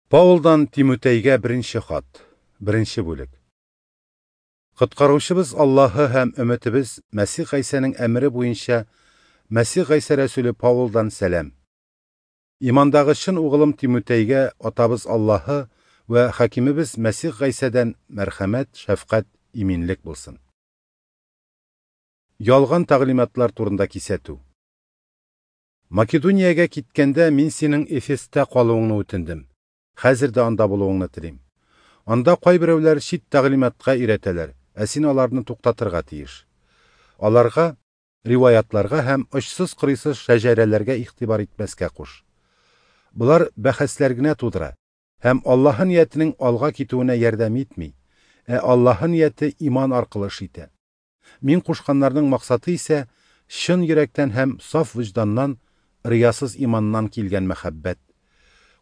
Паулдан Тимутәйгә беренче хат, беренче бүлек. Коткаручыбыз Аллаһы һәм өметебез Мәсих Гайсәнең әмере буенча Мәсих Гайсә рәсүле Паулдан сәлам. Имандагы чын угылым Тимутәйгә атабыз Аллаһы вә хакимебез Мәсих Гайсәдән мәрхәмәт, шәфкать, иминлек булсын. Ялган тәгълиматлар турында кисәтү. Македониягә киткәндә мин синең Эфеста калуыңны үтендем. Хәзер дә анда булуыңны телим. Анда кайберәүләр чит тәгълиматка өйрәтәләр, ә син аларны туктатырга тиеш. Аларга риваятларга һәм очсыз-кырыйсыз шәҗәрәләргә игътибар итмәскә куш. Болар бәхәсләр генә тудыра һәм Аллаһы ниятенең алга китүенә ярдәм итми, ә Аллаһы нияте иман аркылы эш итә. Мин кушканнарның максаты исә чын йөрәктән һәм саф вөҗданнан, риясыз иманнан килгән мәхәббәт.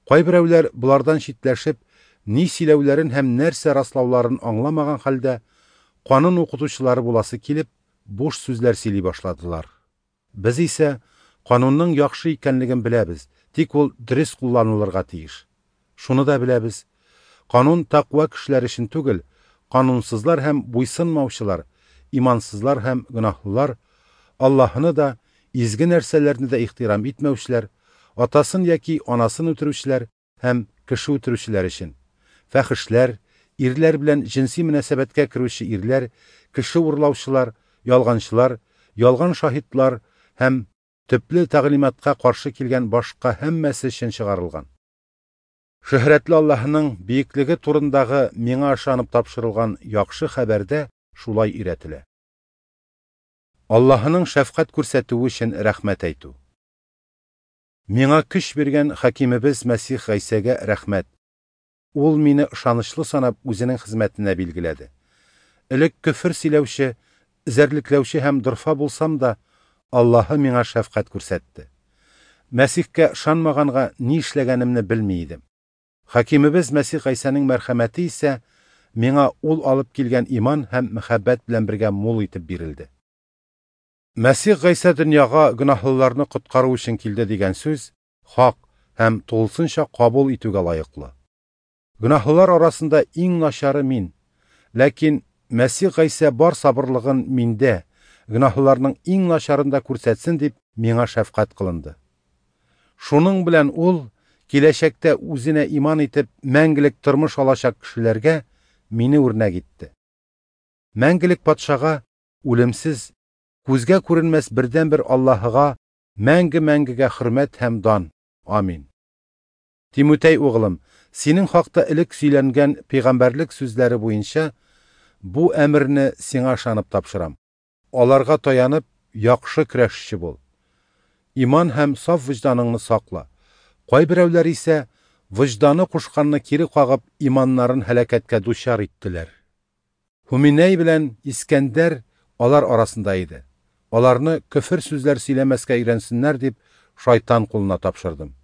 Кайберәүләр болардан читләшеп, ни сөйләүләрен һәм нәрсә раслауларын аңламаган хәлдә, канун укытучылары буласы килеп, буш сүзләр сөйли башладылар. Без исә канунның яхшы икәнлеген беләбез, тик ул дөрес кулланылырга тиеш. Шуны да беләбез: канун тәкъва кешеләр өчен түгел, канунсызлар һәм буйсынмаучылар, имансызлар һәм гөнаһлылар, Аллаһыны да, изге нәрсәләрне дә ихтирам итмәүчеләр, атасын яки анасын үтерүчеләр һәм кеше үтерүчеләр өчен, фәхешләр, ирләр белән җенси мөнәсәбәткә керүче ирләр, кеше урлаучылар, ялганчылар, ялган шаһитлар һәм төпле тәгълиматка каршы килгән башка һәммәсе өчен чыгарылган. Шөһрәтле Аллаһының биеклеге турындагы миңа ышанып тапшырылган яхшы хәбәрдә шулай өйрәтелә. Аллаһының шәфкать күрсәтүе өчен рәхмәт әйтү. Миңа көч биргән хакимебез Мәсих Гайсәгә рәхмәт. Ул мине ышанычлы санап үзенең хезмәтенә билгеләде. Элек көфер сөйләүче, эзәрлекләүче һәм дорфа булсам да, Аллаһы миңа шәфкать күрсәтте. Мәсихкә ышанмаганга ни эшләгәнемне белми идем. Хакимебез Мәсих Гайсәнең мәрхәмәте исә миңа ул алып килгән иман һәм мәхәббәт белән бергә мул итеп бирелде. Мәсих Гайсә дөньяга гөнаһлыларны коткару өчен килде дигән сүз хак һәм тулысынча кабул итүгә лаеклы. Гөнаһлылар арасында иң начары мин. Ләкин Мәсих Гайсә бар сабырлыгын миндә, гөнаһлыларның иң начарын да күрсәтсен дип миңа шәфкать кылынды. Шуның белән ул киләчәктә үзенә иман итеп мәңгелек тормыш алачак кешеләргә мине үрнәк итте. Мәңгелек патшага үлемсез, күзгә күренмәс бердәнбер Аллаһыга мәңге-мәңгегә хөрмәт һәм дан. Амин. Тимутәй углым, синең хакта элек сөйләнгән пәйгамбәрлек сүзләре буенча бу әмерне сиңа ышанып тапшырам. Аларга таянып, яхшы көрәшче бул. Иман һәм саф вөҗданыңны сакла. Кайберәүләр исә вөҗданы кушканны кире кагып, иманнарын һәлакәткә дучар иттеләр. Һуминәй белән Искәндәр алар арасында иде. Аларны көфер сүзләр сөйләмәскә өйрәнсеннәр дип шайтан кулына тапшырдым.